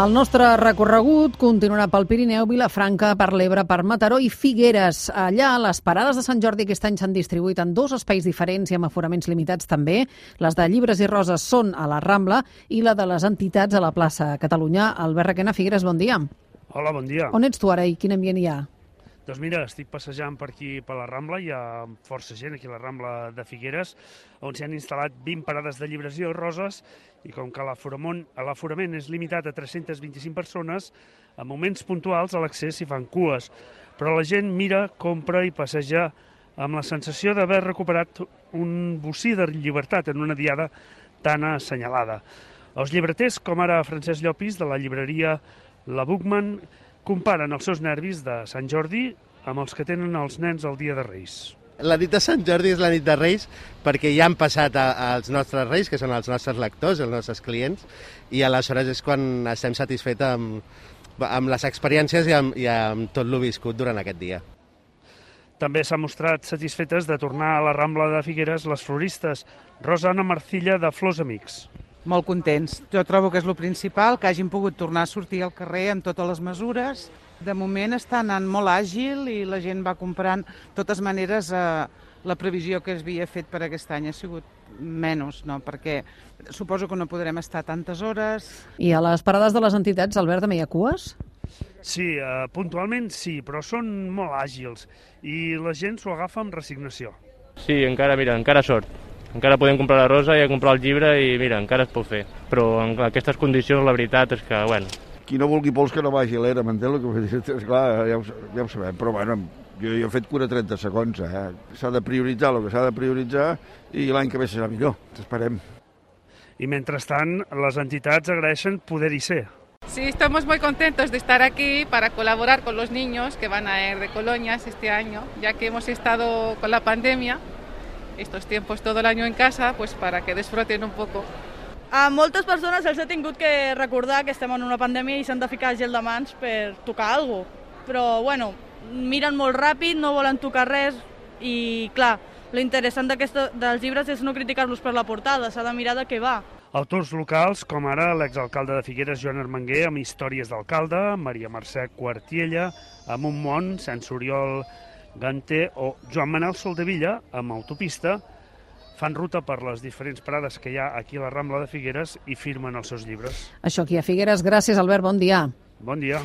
El nostre recorregut continuarà pel Pirineu, Vilafranca, per l'Ebre, per Mataró i Figueres. Allà, les parades de Sant Jordi aquest any s'han distribuït en dos espais diferents i amb aforaments limitats també. Les de Llibres i Roses són a la Rambla i la de les entitats a la plaça Catalunya. Albert Requena, Figueres, bon dia. Hola, bon dia. On ets tu ara i quin ambient hi ha? Doncs mira, estic passejant per aquí, per la Rambla, hi ha força gent aquí a la Rambla de Figueres, on s'hi han instal·lat 20 parades de llibres i roses, i com que l'aforament és limitat a 325 persones, en moments puntuals a l'accés s'hi fan cues, però la gent mira, compra i passeja amb la sensació d'haver recuperat un bocí de llibertat en una diada tan assenyalada. Els llibreters, com ara Francesc Llopis, de la llibreria La Bookman, comparen els seus nervis de Sant Jordi amb els que tenen els nens el dia de Reis. La nit de Sant Jordi és la nit de Reis perquè ja han passat els nostres Reis, que són els nostres lectors, els nostres clients, i aleshores és quan estem satisfets amb les experiències i amb tot lo viscut durant aquest dia. També s'han mostrat satisfetes de tornar a la Rambla de Figueres les floristes Rosa Anna Marcilla de Flors Amics. Molt contents. Jo trobo que és el principal, que hagin pogut tornar a sortir al carrer amb totes les mesures. De moment està anant molt àgil i la gent va comprant. De totes maneres, la previsió que es havia fet per aquest any ha sigut menys, no? Perquè suposo que no podrem estar tantes hores. I a les parades de les entitats, Albert, també hi ha cues? Sí, puntualment sí, però són molt àgils i la gent s'ho agafa amb resignació. Sí, encara sort. Encara podem comprar la rosa i comprar el llibre i mira, encara es pot fer. Però en aquestes condicions la veritat és que, bueno... Qui no vulgui pols que no vagi a l'era, m'entén el que vull dir? Esclar, ja ho sabem, però bueno, jo he fet cura 30 segons, S'ha de prioritzar el que s'ha de prioritzar i l'any que ve serà millor, esperem. I mentrestant, les entitats agraeixen poder-hi ser. Sí, estamos muy contentos de estar aquí para colaborar con los niños que van a ir de colonias este año, ya que hemos estado con la pandemia, estos tiempos todo el año en casa, pues para que disfruten un poco. A moltes persones els he tingut que recordar que estem en una pandèmia i s'han de ficar gel de mans per tocar alguna cosa. Però, bueno, miren molt ràpid, no volen tocar res i, clar, l'interessant dels llibres és no criticar-los per la portada, s'ha de mirar de què va. Autors locals, com ara l'exalcalde de Figueres, Joan Armenguer, amb històries d'alcalde, Maria Mercè Quartiella, amb un món, sense Oriol Ganter o Joan Manel Soldevilla, amb autopista, fan ruta per les diferents parades que hi ha aquí a la Rambla de Figueres i firmen els seus llibres. Això aquí a Figueres. Gràcies, Albert. Bon dia. Bon dia.